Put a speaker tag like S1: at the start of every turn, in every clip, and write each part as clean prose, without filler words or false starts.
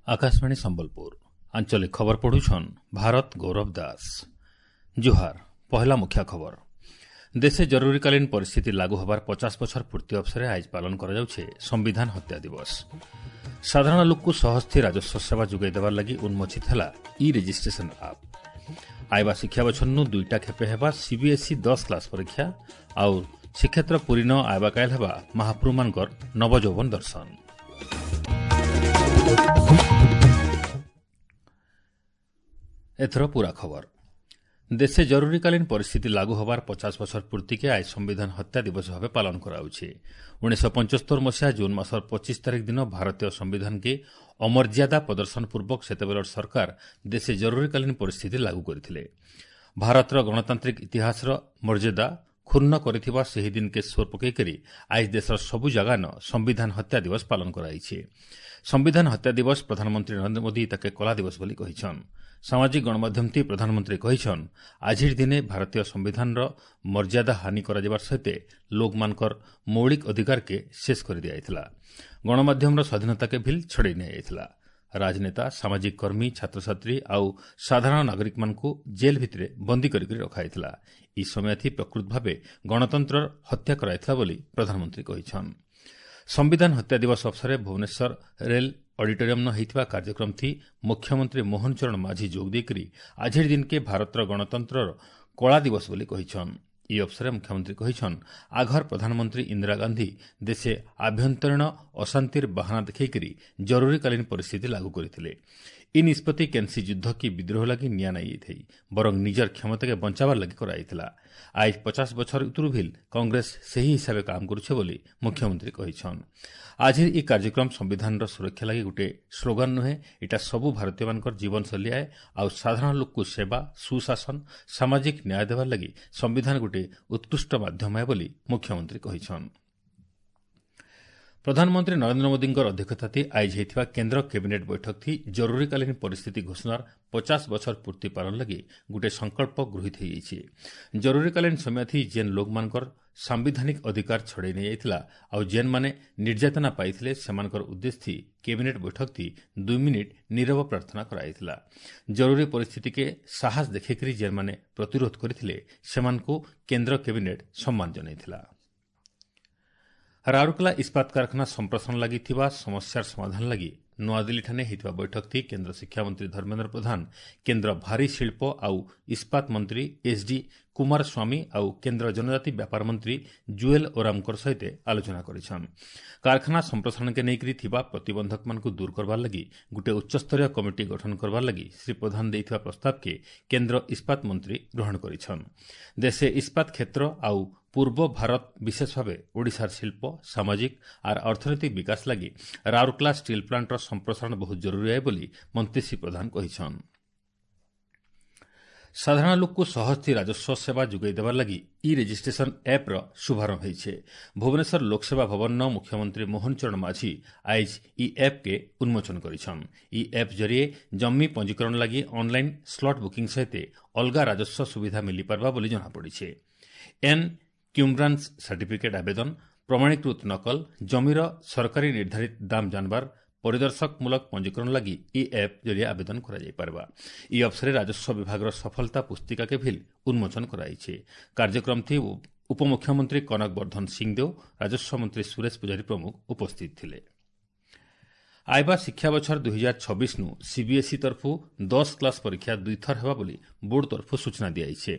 S1: ଆକାଶବାଣୀ ସମ୍ବଲପୁର, ଆଞ୍ଚଳିକ ଖବର ପଢୁଛନ୍ ଭାରତ ଗୌରବ ଦାସ। ଜୁହାର। ପହଲା ମୁଖ୍ୟ ଖବର। ଦେଶେ ଜରୁରୀକାଳୀନ ପରିସ୍ଥିତି ଲାଗୁ ହେବାର 50 ବଛର ପୂର୍ତ୍ତି ଅବସରେ ଆଜ ପାଳନ କରାଯାଉଛି ସମ୍ବିଧାନ ହତ୍ୟା ଦିବସ। ସାଧାରଣ ଲୋକକୁ ସହଜଥି ରାଜସ୍ୱ ସେବା ଯୋଗାଇ ଦେବାର ଲାଗି ଉନ୍ମୋଚିତ ହେଲା ଇ ରେଜିଷ୍ଟ୍ରେସନ ଆପ୍। ଆଇବା ଶିକ୍ଷା ବଛରନୁ ଦୁଇଟା ଖେପେ ହେବା ସିବିଏସ୍ଇ 10 କ୍ଲାସ୍ ପରୀକ୍ଷା। ଆଉ ଶ୍ରୀକ୍ଷେତ୍ର ପୁରୀନ ଆଇବା କାଏଲ ହେବା ମହାପ୍ରଭୁମାନଙ୍କର ନବଯୌବନ ଦର୍ଶନ। ଏଥର ପୁରା ଖବର। ଦେଶେ ଜରୁରୀକାଳୀନ ପରିସ୍ଥିତି ଲାଗୁ ହେବାର 50 ବଛର ପୂର୍ତ୍ତିକେ ଆଜ ସମ୍ବିଧାନ ହତ୍ୟା ଦିବସ ଭାବେ ପାଳନ କରାଯାଉଛି। 1975 ମସିହା ଜୁନ୍ ମାସର 25 ତାରିଖ ଦିନ ଭାରତୀୟ ସମ୍ବିଧାନକେ ଅମର୍ଯ୍ୟାଦା ପ୍ରଦର୍ଶନ ପୂର୍ବକ ସେତେବେଳର ସରକାର ଦେଶେ ଜରୁରୀକାଳୀନ ପରିସ୍ଥିତି ଲାଗୁ କରିଥିଲେ। ଭାରତର ଗଣତାନ୍ତ୍ରିକ ଇତିହାସର ମର୍ଯ୍ୟାଦା କ୍ଷୁଣ୍ଣ କରିଥିବା ସେହି ଦିନକେ ସୋର ପକାଇକରି ଆଜ ଦେଶର ସବୁ ଜାଗାନ ସମ୍ବିଧାନ ହତ୍ୟା ଦିବସ ପାଳନ କରାଯାଇଛି। ସମ୍ବିଧାନ ହତ୍ୟା ଦିବସ ପ୍ରଧାନମନ୍ତ୍ରୀ ନରେନ୍ଦ୍ର ମୋଦି ତାକେ କଳା ଦିବସ ବୋଲି କହିଛନ୍। ସାମାଜିକ ଗଣମାଧ୍ୟମଥି ପ୍ରଧାନମନ୍ତ୍ରୀ କହିଛନ୍, ଆଜିର ଦିନେ ଭାରତୀୟ ସମ୍ବିଧାନର ମର୍ଯ୍ୟାଦା ହାନି କରାଯିବାର ସହିତ ଲୋକମାନଙ୍କର ମୌଳିକ ଅଧିକାରକେ ଶେଷ କରିଦିଆଯାଇଥିଲା। ଗଣମାଧ୍ୟମର ସ୍ୱାଧୀନତାକେ ଭିଲ୍ ଛଡ଼େଇ ନିଆଯାଇଥିଲା। ରାଜନେତା, ସାମାଜିକ କର୍ମୀ, ଛାତ୍ରଛାତ୍ରୀ ଆଉ ସାଧାରଣ ନାଗରିକମାନଙ୍କୁ ଜେଲ୍ ଭିତରେ ବନ୍ଦୀ କରିକି ରଖାଯାଇଥିଲା। ଇ ସମୟଥି ପ୍ରକୃତ ଭାବେ ଗଣତନ୍ତ୍ରର ହତ୍ୟା କରାଯାଇଥିଲା ବୋଲି ପ୍ରଧାନମନ୍ତ୍ରୀ କହିଛନ୍। ସମ୍ବିଧାନ ହତ୍ୟା ଦିବସ ଅବସରରେ ଭୁବନେଶ୍ୱର ରେଲ୍ ଅଡିଟୋରିୟମ୍ନ ହୋଇଥିବା କାର୍ଯ୍ୟକ୍ରମଥି ମୁଖ୍ୟମନ୍ତ୍ରୀ ମୋହନ ଚରଣ ମାଝୀ ଯୋଗ ଦେଇକରି ଆଜିର ଦିନକେ ଭାରତର ଗଣତନ୍ତ୍ରର କଳା ଦିବସ ବୋଲି କହିଛନ୍। ଇ ଅବସରରେ ମୁଖ୍ୟମନ୍ତ୍ରୀ କହିଛନ୍, ଆଘର ପ୍ରଧାନମନ୍ତ୍ରୀ ଇନ୍ଦିରା ଗାନ୍ଧୀ ଦେଶେ ଆଭ୍ୟନ୍ତରୀଣ ଅଶାନ୍ତିର ବାହାନା ଦେଖାଇକରି ଜରୁରୀକାଳୀନ ପରିସ୍ଥିତି ଲାଗୁ କରିଥିଲେ। ଇ ନିଷ୍ପତ୍ତି କେନ୍ସି ଯୁଦ୍ଧ କି ବିଦ୍ରୋହ ଲାଗି ନିଆ ନାଇଁ ଯାଇଥାଇ, ବରଂ ନିଜର କ୍ଷମତାକେ ବଞ୍ଚାବାର ଲାଗି କରାଯାଇଥିଲା। ଆଜ 50 ବଛର ଉତରୁ ଭିଲ୍ କଂଗ୍ରେସ ସେହି ହିସାବେ କାମ କରୁଛେ ବୋଲି ମୁଖ୍ୟମନ୍ତ୍ରୀ କହିଛନ୍। ଆଜିର ଇ କାର୍ଯ୍ୟକ୍ରମ ସମ୍ବିଧାନର ସୁରକ୍ଷା ଲାଗି ଗୋଟିଏ ସ୍ଲୋଗାନ ନୁହେଁ, ଏଇଟା ସବୁ ଭାରତୀୟମାନଙ୍କର ଜୀବନଶୈଳୀ ଆଏ। ଆଉ ସାଧାରଣ ଲୋକକୁ ସେବା, ସୁଶାସନ, ସାମାଜିକ ନ୍ୟାୟ ଦେବାର ଲାଗି ସମ୍ବିଧାନ ଗୋଟିଏ ଉତ୍କୃଷ୍ଟ ମାଧ୍ୟମ ଏ ବୋଲି ମୁଖ୍ୟମନ୍ତ୍ରୀ କହିଛନ୍। ପ୍ରଧାନମନ୍ତ୍ରୀ ନରେନ୍ଦ୍ର ମୋଦିଙ୍କର ଅଧ୍ୟକ୍ଷତାରେ ଆଇଜ ହୋଇଥିବା କେନ୍ଦ୍ର କ୍ୟାବିନେଟ୍ ବୈଠକଥି ଜରୁରୀକାଳୀନ ପରିସ୍ଥିତି ଘୋଷଣାର 50 ବଛର ପୂର୍ତ୍ତି ପାଳନ ଲାଗି ଗୋଟିଏ ସଂକଳ୍ପ ଗୃହୀତ ହୋଇଯାଇଛି। ଜରୁରୀକାଳୀନ ସମୟଥି ଯେନ୍ ଲୋକମାନଙ୍କର ସାମ୍ବିଧାନିକ ଅଧିକାର ଛଡ଼େଇ ନିଆଯାଇଥିଲା ଆଉ ଯେନ୍ମାନେ ନିର୍ଯାତନା ପାଇଥିଲେ, ସେମାନଙ୍କର ଉଦ୍ଦେଶ୍ୟ କ୍ୟାବିନେଟ୍ ବୈଠକଥି 2 ମିନିଟ୍ ନୀରବ ପ୍ରାର୍ଥନା କରାଯାଇଥିଲା। ଜରୁରୀ ପରିସ୍ଥିତିକେ ସାହସ ଦେଖେଇକରି ଯେନ୍ମାନେ ପ୍ରତିରୋଧ କରିଥିଲେ, ସେମାନଙ୍କୁ କେନ୍ଦ୍ର କ୍ୟାବିନେଟ୍ ସମ୍ମାନ ଜଣାଇଥିଲା। ରାଉରକେଲା ଇସ୍ପାତ କାରଖାନା ସମ୍ପ୍ରସାରଣ ଲାଗି ଥିବା ସମସ୍ୟାର ସମାଧାନ ଲାଗି ନୂଆଦିଲ୍ଲୀଠାରେ ହୋଇଥିବା ବୈଠକଥି କେନ୍ଦ୍ର ଶିକ୍ଷାମନ୍ତ୍ରୀ ଧର୍ମେନ୍ଦ୍ର ପ୍ରଧାନ, କେନ୍ଦ୍ର ଭାରୀ ଶିଳ୍ପ ଆଉ ଇସ୍ପାତ ମନ୍ତ୍ରୀ ଏଚ୍ଡି କୁମାରସ୍ୱାମୀ ଆଉ କେନ୍ଦ୍ର ଜନଜାତି ବ୍ୟାପାର ମନ୍ତ୍ରୀ ଜୁଏଲ୍ ଓରାମଙ୍କର ସହିତ ଆଲୋଚନା କରିଛନ୍। କାରଖାନା ସମ୍ପ୍ରସାରଣକେ ନେଇକରି ଥିବା ପ୍ରତିବନ୍ଧକମାନଙ୍କୁ ଦୂର କରବାର ଲାଗି ଗୋଟିଏ ଉଚ୍ଚସ୍ତରୀୟ କମିଟି ଗଠନ କରବାର ଲାଗି ଶ୍ରୀ ପ୍ରଧାନ ଦେଇଥିବା ପ୍ରସ୍ତାବକେ କେନ୍ଦ୍ର ଇସ୍ପାତ ମନ୍ତ୍ରୀ ଗ୍ରହଣ କରିଛନ୍। ଦେଶେ ଇସ୍ପାତ କ୍ଷେତ୍ର ଆଉ ପୂର୍ବ ଭାରତ, ବିଶେଷ ଭାବେ ଓଡ଼ିଶାର ଶିଳ୍ପ, ସାମାଜିକ ଆର୍ ଅର୍ଥନୈତିକ ବିକାଶ ଲାଗି ରାଉରକେଲା ଷ୍ଟିଲ୍ ପ୍ଲାଣ୍ଟର ସମ୍ପ୍ରସାରଣ ବହୁତ ଜରୁରୀ ଏ ବୋଲି ମନ୍ତ୍ରୀ ଶ୍ରୀ ପ୍ରଧାନ କହିଛନ୍। ସାଧାରଣ ଲୋକକୁ ସହଜଥି ରାଜସ୍ୱ ସେବା ଯୋଗାଇ ଦେବାର ଲାଗି ଇ ରେଜିଷ୍ଟ୍ରେସନ ଆପ୍ର ଶୁଭାରମ୍ଭ ହୋଇছে। ଭୁବନେଶ୍ୱର ଲୋକସେବା ଭବନର ମୁଖ୍ୟମନ୍ତ୍ରୀ ମୋହନ ଚରଣ ମାଝୀ ଆଇଜ ଇ ଆପ୍କେ ଉନ୍ମୋଚନ କରିଛନ୍। ଇ ଆପ୍ ଜରିଏ ଜମି ପଞ୍ଜୀକରଣ ଲାଗି ଅନ୍ଲାଇନ୍ ସ୍ଲଟ୍ ବୁକିଂ ସହିତ ଅଲଗା ରାଜସ୍ୱ ସୁବିଧା ମିଳିପାରବା ବୋଲି ଜଣାପଡ଼ିছে। ଏନ୍କ୍ୟୁମ୍ବ୍ରାନ୍ସ ସାର୍ଟିଫିକେଟ୍ ଆବେଦନ, ପ୍ରମାଣୀକୃତ ନକଲ, ଜମିର ସରକାରୀ ନିର୍ଦ୍ଧାରିତ ଦାମ ଜାଣବାର, ପରିଦର୍ଶକମୂଳକ ପଞ୍ଜୀକରଣ ଲାଗି ଇ ଆପ୍ ଜରିଏ ଆବେଦନ କରାଯାଇପାରିବା। ଇ ଅବସରରେ ରାଜସ୍ୱ ବିଭାଗର ସଫଳତା ପୁସ୍ତିକାକେ ଭିଲ୍ ଉନ୍ମୋଚନ କରାଯାଇଛି। କାର୍ଯ୍ୟକ୍ରମଥି ଉପମୁଖ୍ୟମନ୍ତ୍ରୀ କନକ ବର୍ଦ୍ଧନ ସିଂଦେଓ, ରାଜସ୍ୱ ମନ୍ତ୍ରୀ ସୁରେଶ ପୂଜାରୀ ପ୍ରମୁଖ ଉପସ୍ଥିତ ଥିଲେ। ଆଇବା ଶିକ୍ଷା ବଛର 2026ନୁ ସିବିଏସ୍ଇ ତରଫୁ 10 କ୍ଲାସ୍ ପରୀକ୍ଷା ଦୁଇଥର ହେବା ବୋଲି ବୋର୍ଡ ତରଫୁ ସୂଚନା ଦିଆଯାଇଛି।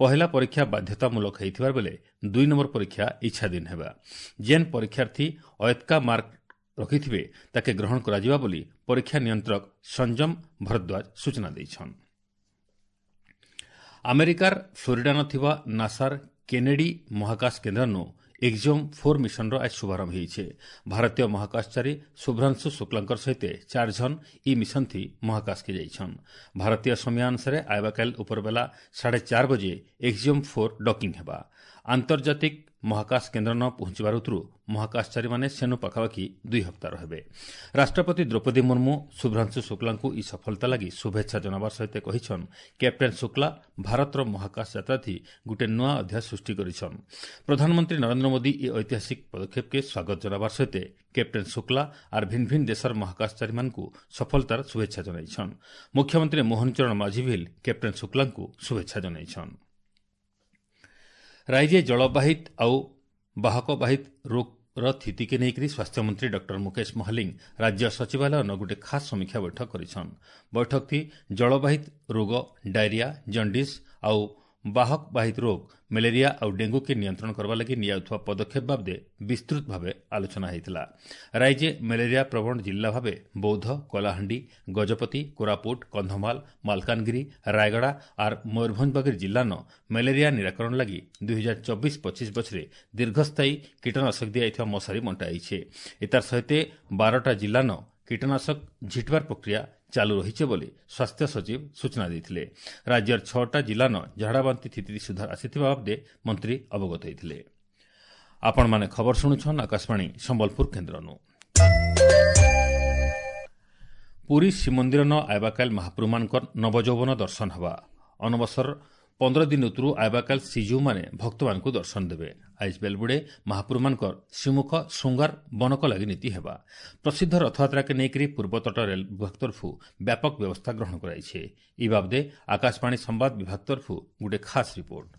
S1: ପହିଲା ପରୀକ୍ଷା ବାଧ୍ୟତାମୂଳକ ହୋଇଥିବା ବେଳେ 2 ନମ୍ବର ପରୀକ୍ଷା ଇଚ୍ଛାଧୀନ ହେବା। ଯେନ୍ ପରୀକ୍ଷାର୍ଥୀ ଅୟତ୍କା ମାର୍କ ରଖିଥିବେ, ତାକେ ଗ୍ରହଣ କରାଯିବା ବୋଲି ପରୀକ୍ଷା ନିୟନ୍ତ୍ରକ ସଂଯମ ଭରଦ୍ୱାଜ ସୂଚନା ଦେଇଛନ୍। ଆମେରିକାର ଫ୍ଲୋରିଡାନ ଥିବା ନାସାର କେନେଡି ମହାକାଶ କେନ୍ଦ୍ରନୁ ଏକ୍ଜିଓମ୍ 4 ମିଶନର ଆଜ ଶୁଭାରମ୍ଭ ହୋଇছে। ଭାରତୀୟ ମହାକାଶଚାରୀ ଶୁଭ୍ରାଂଶୁ ଶୁକ୍ଲାଙ୍କର ସହିତ 4 ଜଣ ଇ ମିଶନଥି ମହାକାଶକେ ଯାଇଛନ୍। ଭାରତୀୟ ସମୟାନୁସାରେ ଆଇବାକାଲ ଉପରବେଲା 4:30 ବଜେ ଏକ୍ଜିଓମ୍ 4 ଡକିଂ ହେବା। ଆନ୍ତର୍ଜାତିକ ମହାକାଶ କେନ୍ଦ୍ର ନ ପହଞ୍ଚିବାର ଉତରୁ ମହାକାଶଚାରୀମାନେ ସେନୁ ପାଖାପାଖି 2 ହପ୍ତା ରହିବେ। ରାଷ୍ଟ୍ରପତି ଦ୍ରୌପଦୀ ମୁର୍ମୁ ଶୁଭ୍ରାଂଶୁ ଶୁକ୍ଲାଙ୍କୁ ଇ ସଫଳତା ଲାଗି ଶୁଭେଚ୍ଛା ଜଣାବାର ସହିତ କହିଛନ୍, କ୍ୟାପ୍ଟେନ୍ ଶୁକ୍ଲା ଭାରତର ମହାକାଶ ଯାତ୍ରାଥି ଗୋଟିଏ ନୂଆ ଅଧ୍ୟାୟ ସୃଷ୍ଟି କରିଛନ୍। ପ୍ରଧାନମନ୍ତ୍ରୀ ନରେନ୍ଦ୍ର ମୋଦି ଇ ଐତିହାସିକ ପଦକ୍ଷେପକେ ସ୍ୱାଗତ ଜଣାବାର ସହିତ କ୍ୟାପ୍ଟେନ୍ ଶୁକ୍ଲା ଆର୍ ଭିନ୍ ଭିନ୍ ଦେଶର ମହାକାଶଚାରୀମାନଙ୍କୁ ସଫଳତାର ଶୁଭେଚ୍ଛା ଜଣାଇଛନ୍। ମୁଖ୍ୟମନ୍ତ୍ରୀ ମୋହନ ଚରଣ ମାଝୀ ଭିଲ୍ କ୍ୟାପ୍ଟେନ୍ ଶୁକ୍ଲାଙ୍କୁ ଶୁଭେଚ୍ଛା ଜଣାଇଛନ୍। ରାଜ୍ୟ ଜଳବାହିତ ଆଉ ବାହକବାହିତ ରୋଗର ସ୍ଥିତିକେ ନେଇକରି ସ୍ୱାସ୍ଥ୍ୟମନ୍ତ୍ରୀ ଡକ୍ଟର ମୁକେଶ ମହାଲିଙ୍ଗ ରାଜ୍ୟ ସଚିବାଳୟନ ଗୋଟିଏ ଖାସ୍ ସମୀକ୍ଷା ବୈଠକ କରିଛନ୍। ବୈଠକଥି ଜଳବାହିତ ରୋଗ, ଡାଇରିଆ, ଜଣ୍ଡିସ୍ ଆଉ ବାହକବାହିତ ରୋଗ, ମ୍ୟାଲେରିଆ ଆଉ ଡେଙ୍ଗୁକେ ନିୟନ୍ତ୍ରଣ କରିବା ଲାଗି ନିଆଯାଉଥିବା ପଦକ୍ଷେପ ବାବଦେ ବିସ୍ତୃତ ଭାବେ ଆଲୋଚନା ହୋଇଥିଲା। ରାଜ୍ୟ ମ୍ୟାଲେରିଆ ପ୍ରବଣ ଜିଲ୍ଲା ଭାବେ ବୌଦ୍ଧ, କଳାହାଣ୍ଡି, ଗଜପତି, କୋରାପୁଟ, କନ୍ଧମାଳ, ମାଲକାନଗିରି, ରାୟଗଡ଼ା ଆର୍ ମୟୂରଭଞ୍ଜ ବାଗିର ଜିଲ୍ଲାନ ମ୍ୟାଲେରିଆ ନିରାକରଣ ଲାଗି 2024-25 ବଛରେ ଦୀର୍ଘସ୍ଥାୟୀ କୀଟନାଶକ ଦିଆଯାଇଥିବା ମଶାରୀ ବଣ୍ଟାଯାଇଛି। ଏତାର ସହିତ 12ଟା ଜିଲ୍ଲାନ କୀଟନାଶକ ଝିଟବାର ପ୍ରକ୍ରିୟା ଚାଲୁ ରହିছে ବୋଲି ସ୍ୱାସ୍ଥ୍ୟ ସଚିବ ସୂଚନା ଦେଇଥିଲେ। ରାଜ୍ୟର 6ଟା ଜିଲ୍ଲାନ ଝାଡ଼ାବାନ୍ତି ସ୍ଥିତି ସୁଧାର ଆସିଥିବା ବାବଦେ ମନ୍ତ୍ରୀ ଅବଗତ ହୋଇଥିଲେ। ଆପଣମାନେ ଖବର ଶୁଣୁଛନ୍ ଆକାଶବାଣୀ ସମ୍ବଲପୁର କେନ୍ଦ୍ରନୁ। ପୁରୀ ଶ୍ରୀମନ୍ଦିରନ ଆଇବାକାଲ ମହାପ୍ରଭୁମାନଙ୍କର ନବଯୌବନ ଦର୍ଶନ ହେବା। ଅନବସର 15 ଦିନ ଉତରୁ ଆଇବାକାଲ ଶ୍ରୀଜୀଉମାନେ ଭକ୍ତମାନଙ୍କୁ ଦର୍ଶନ ଦେବେ। ଆଇଜ ବେଲବୁଡ଼େ ମହାପ୍ରଭୁମାନଙ୍କର ଶ୍ରୀମୁଖ ଶୃଙ୍ଗାର ବନକ ଲାଗି ନୀତି ହେବା। ପ୍ରସିଦ୍ଧ ରଥଯାତ୍ରାକେ ନେଇକରି ପୂର୍ବତଟ ରେଳ ବିଭାଗ ତରଫରୁ ବ୍ୟାପକ ବ୍ୟବସ୍ଥା ଗ୍ରହଣ କରାଯାଇଛି। ଇ ବାବଦେ ଆକାଶବାଣୀ ସମ୍ବାଦ ବିଭାଗ ତରଫରୁ ଗୋଟିଏ ଖାସ୍ ରିପୋର୍ଟ।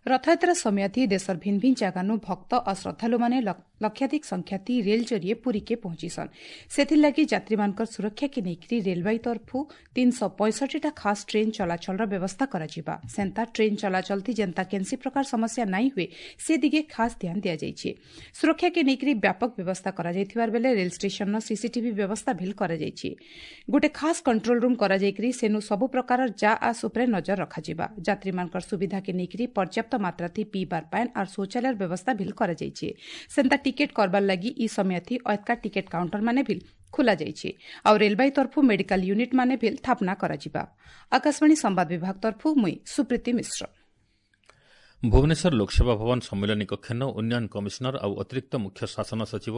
S2: ରଥଯାତ୍ରା ସମୟଥି ଦେଶର ଭିନ୍ ଭିନ୍ ଜାଗାନୁ ଭକ୍ତ ଓ ଶ୍ରଦ୍ଧାଳୁମାନେ ଲକ୍ଷାଧିକ ସଂଖ୍ୟାତି ରେଲ୍ ଜରିଏ ପୁରୀକେ ପହଞ୍ଚିସନ୍। ସେଥିର୍ଲାଗି ଯାତ୍ରୀମାନଙ୍କର ସୁରକ୍ଷାକେ ନେଇକରି ରେଲବାଇ ତରଫୁ 365ଟା ଖାସ୍ ଟ୍ରେନ୍ ଚଳାଚଳର ବ୍ୟବସ୍ଥା କରାଯିବା। ସେନ୍ତା ଟ୍ରେନ୍ ଚଳାଚଳଥି ଯେନ୍ତା କେନ୍ସି ପ୍ରକାର ସମସ୍ୟା ନାଇଁ ହୁଏ ସେ ଦିଗେ ଖାସ୍ ଧ୍ୟାନ ଦିଆଯାଇଛି। ସୁରକ୍ଷାକେ ନେଇକରି ବ୍ୟାପକ ବ୍ୟବସ୍ଥା କରାଯାଇଥିବାର ବେଲେ ରେଲ୍ ଷ୍ଟେସନର ସିସିଟିଭି ବ୍ୟବସ୍ଥା ଭିଲ୍ କରାଯାଇଛି। ଗୋଟେ ଖାସ୍ କଣ୍ଟ୍ରୋଲ ରୁମ୍ କରାଯାଇକରି ସେନୁ ସବୁ ପ୍ରକାର ଯା ଆସ ଉପରେ ନଜର ରଖାଯିବା। ଯାତ୍ରୀମାନଙ୍କର ସୁବିଧାକେ ନେଇକରି ପର୍ଯ୍ୟାପ୍ତ ମାତ୍ରାଥି ପିଇବାର ପାଏନ୍ ଆର୍ ଶୌଚାଳୟର ବ୍ୟବସ୍ଥା ଭିଲ୍ କରାଯାଇଛି। ସେନ୍ତା ଟିକେଟ୍ କରବାର ଲାଗି ଇ ସମୟଥି ଅଏତ୍କା ଟିକେଟ୍ କାଉଣ୍ଟର ମାନେ ଭିଲ୍ ଖୋଲା ଯାଇଛି। ଆଉ ରେଲବାଇ ତରଫୁ ମେଡିକାଲ ୟୁନିଟ୍ ମାନେ ଭିଲ୍ ସ୍ଥାପନା କରାଯିବା। ଆକାଶବାଣୀ ସମ୍ବାଦ ବିଭାଗ ତରଫୁ ମୁଇଁ ସୁପ୍ରୀତି ମିଶ୍ର।
S1: ଭୁବନେଶ୍ୱର ଲୋକସେବା ଭବନ ସମ୍ମିଳନୀ କକ୍ଷନ ଉନ୍ନୟନ କମିଶନର ଆଉ ଅତିରିକ୍ତ ମୁଖ୍ୟ ଶାସନ ସଚିବ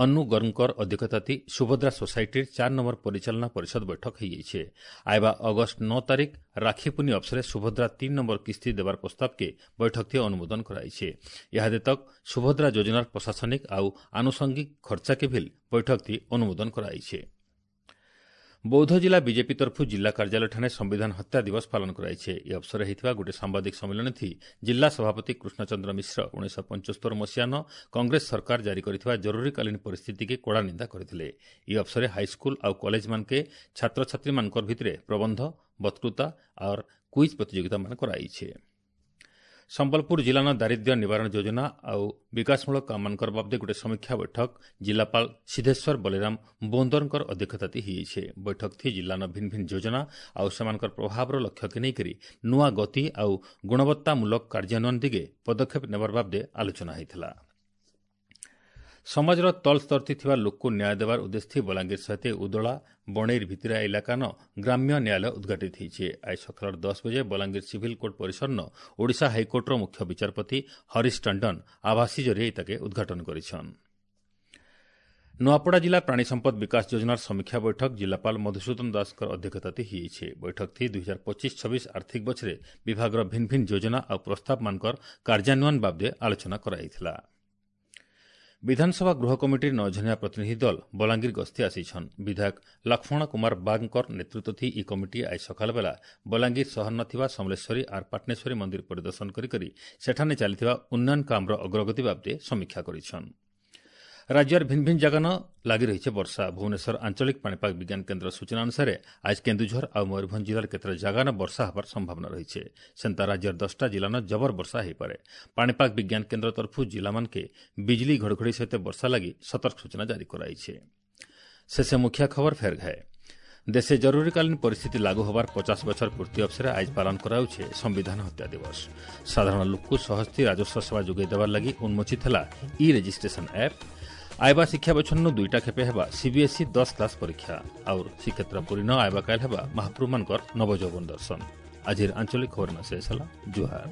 S1: ଅନୁ ଗର୍ଗଙ୍କର ଅଧ୍ୟକ୍ଷତାତି ସୁଭଦ୍ରା ସୋସାଇଟିର 4 ନମ୍ବର ପରିଚାଳନା ପରିଷଦ ବୈଠକ ହୋଇଯାଇଛି। ଆଇବା ଅଗଷ୍ଟ 9 ତାରିଖ ରାକ୍ଷୀ ପୁନି ଅବସରରେ ସୁଭଦ୍ରା 3 ନମ୍ବର କିସ୍ତି ଦେବାର ପ୍ରସ୍ତାବକେ ବୈଠକଥି ଅନୁମୋଦନ କରାଯାଇଛି। ଇହାଦେ ତକ୍ ସୁଭଦ୍ରା ଯୋଜନାର ପ୍ରଶାସନିକ ଆଉ ଆନୁଷଙ୍ଗିକ ଖର୍ଚ୍ଚାକେ ଭିଲ୍ ବୈଠକଥି ଅନୁମୋଦନ କରାଯାଇଛି। ବୌଦ୍ଧ ଜିଲ୍ଲା ବିଜେପି ତରଫରୁ ଜିଲ୍ଲା କାର୍ଯ୍ୟାଳୟଠାରେ ସମ୍ବିଧାନ ହତ୍ୟା ଦିବସ ପାଳନ କରାଯାଇଛି। ଏହି ଅବସରରେ ହୋଇଥିବା ଗୋଟିଏ ସାମ୍ବାଦିକ ସମ୍ମିଳନୀ ଜିଲ୍ଲା ସଭାପତି କୃଷ୍ଣଚନ୍ଦ୍ର ମିଶ୍ର 1975 ମସିହାନ କଂଗ୍ରେସ ସରକାର ଜାରି କରିଥିବା ଜରୁରୀକାଳୀନ ପରିସ୍ଥିତିକେ କଡ଼ା ନିନ୍ଦା କରିଥିଲେ। ଏହି ଅବସରରେ ହାଇସ୍କୁଲ ଆଉ କଲେଜମାନକେ ଛାତ୍ରଛାତ୍ରୀମାନଙ୍କର ଭିତରେ ପ୍ରବନ୍ଧ, ବକ୍ତୃତା ଆର୍ କୁଇଜ୍ ପ୍ରତିଯୋଗିତାମାନ କରାଯାଇଛି। ସମ୍ବଲପୁର ଜିଲ୍ଲାନ ଦାରିଦ୍ର୍ୟ ନିବାରଣ ଯୋଜନା ଆଉ ବିକାଶମୂଳକ କାମମାନଙ୍କର ବାବଦେ ଗୋଟିଏ ସମୀକ୍ଷା ବୈଠକ ଜିଲ୍ଲାପାଳ ସିଦ୍ଧେଶ୍ୱର ବଳିରାମ ବୋନ୍ଦରଙ୍କର ଅଧ୍ୟକ୍ଷତାତି ହୋଇଯାଇଛି। ବୈଠକଥି ଜିଲ୍ଲାନ ଭିନ୍ ଭିନ୍ ଯୋଜନା ଆଉ ସେମାନଙ୍କର ପ୍ରଭାବର ଲକ୍ଷ୍ୟକେ ନେଇକରି ନୂଆ ଗତି ଆଉ ଗୁଣବତ୍ତାମୂଳକ କାର୍ଯ୍ୟାନ୍ୱୟନ ଦିଗେ ପଦକ୍ଷେପ ନେବାର ବାବଦେ ଆଲୋଚନା ହୋଇଥିଲା। ସମାଜର ତଳ ସ୍ତରଥି ଥିବା ଲୋକକୁ ନ୍ୟାୟ ଦେବାର ଉଦ୍ଦେଶ୍ୟ ବଲାଙ୍ଗୀର ସହିତ ଉଦଳା ବଣେଇର ଭିତିରିଆ ଇଲାକାନ ଗ୍ରାମ୍ୟ ନ୍ୟାୟାଳୟ ଉଦ୍ଘାଟିତ ହୋଇଛି। ଆଜି ସକାଳ 10 ବଜେ ବଲାଙ୍ଗୀର ସିଭିଲ୍ କୋର୍ଟ ପରିସରନ ଓଡ଼ିଶା ହାଇକୋର୍ଟର ମୁଖ୍ୟ ବିଚାରପତି ହରିଶ ଟଣ୍ଡନ ଆଭାସୀ ଜରିଏ ତାକେ ଉଦ୍ଘାଟନ କରିଛନ୍। ନୂଆପଡ଼ା ଜିଲ୍ଲା ପ୍ରାଣୀ ସମ୍ପଦ ବିକାଶ ଯୋଜନାର ସମୀକ୍ଷା ବୈଠକ ଜିଲ୍ଲାପାଳ ମଧୁସୂଦନ ଦାସଙ୍କ ଅଧ୍ୟକ୍ଷତାତି ହୋଇଯାଇଛି। ବୈଠକଥି 2025-26 ଆର୍ଥିକ ବଛରେ ବିଭାଗର ଭିନ୍ ଭିନ୍ ଯୋଜନା ଆଉ ପ୍ରସ୍ତାବମାନଙ୍କର କାର୍ଯ୍ୟାନ୍ୱୟନ ବାବଦେ ଆଲୋଚନା କରାଯାଇଥିଲା। ବିଧାନସଭା ଗୃହ କମିଟିର 9 ଜଣିଆ ପ୍ରତିନିଧି ଦଳ ବଲାଙ୍ଗୀର ଗସ୍ତି ଆସିଛନ୍। ବିଧାୟକ ଲକ୍ଷ୍ମଣ କୁମାର ବାଗଙ୍କର ନେତୃତ୍ୱ ଇ କମିଟି ଆଜି ସକାଳ ବେଲା ବଲାଙ୍ଗୀର ସହର ଥିବା ସମଲେଶ୍ୱରୀ ଆର୍ ପାଟନେଶ୍ୱରୀ ମନ୍ଦିର ପରିଦର୍ଶନ କରି ସେଠାନେ ଚାଲିଥିବା ଉନ୍ନୟନ କାମର ଅଗ୍ରଗତି ବାବଦେ ସମୀକ୍ଷା କରିଛନ୍। ରାଜ୍ୟର ଭିନ୍ ଭିନ୍ ଜାଗାନ ଲାଗି ରହିଛି ବର୍ଷା। ଭୁବନେଶ୍ୱର ଆଞ୍ଚଳିକ ପାଣିପାଗ ବିଜ୍ଞାନ କେନ୍ଦ୍ର ସୂଚନା ଅନୁସାରେ ଆଜି କେନ୍ଦୁଝର ଆଉ ମୟୂରଭଞ୍ଜ ଜିଲ୍ଲାର କେତେଟା ଜାଗାନ ବର୍ଷା ହେବାର ସମ୍ଭାବନା ରହିଛି। ସେନ୍ତା ରାଜ୍ୟର 10ଟା ଜିଲ୍ଲାନ ଜବର ବର୍ଷା ହୋଇପାରେ। ପାଣିପାଗ ବିଜ୍ଞାନ କେନ୍ଦ୍ର ତରଫରୁ ଜିଲ୍ଲାମାନକେ ବିଜୁଳି ଘଡ଼ଘଡ଼ି ସହିତ ବର୍ଷା ଲାଗି ସତର୍କ ସୂଚନା ଜାରି କରାଯାଇଛି। ଶେଷ ମୁଖ୍ୟ ଖବର ଫେର ଘାଏ। ଦେଶେ ଜରୁରୀକାଳୀନ ପରିସ୍ଥିତି ଲାଗୁ ହେବାର 50 ବଛର ପୂର୍ତ୍ତି ଅବସରରେ ଆଜି ପାଳନ କରାଯାଉଛି ସମ୍ବିଧାନ ହତ୍ୟା ଦିବସ। ସାଧାରଣ ଲୋକକୁ ସହଜତି ରାଜସ୍ୱ ସେବା ଯୋଗାଇ ଦେବାର ଲାଗି ଉନ୍ମୋଚିତ ହେଲା ଇ ରେଜିଷ୍ଟ୍ରେସନ ଆପ୍। ଆଇବା ଶିକ୍ଷା ବଛରନୁ 2ଟା ଖେପେ ହେବା ସିବିଏସ୍ଇ 10 କ୍ଲାସ୍ ପରୀକ୍ଷା। ଆଉ ଶ୍ରୀକ୍ଷେତ୍ର ପୁରୀନ ଆଇବା କାଲ ହେବା ମହାପ୍ରଭୁମାନଙ୍କର ନବଯୌବନ ଦର୍ଶନ। ଆଜିର ଆଞ୍ଚଳିକ ଖବର ଶେଷ ହେଲା। ଜୁହାର।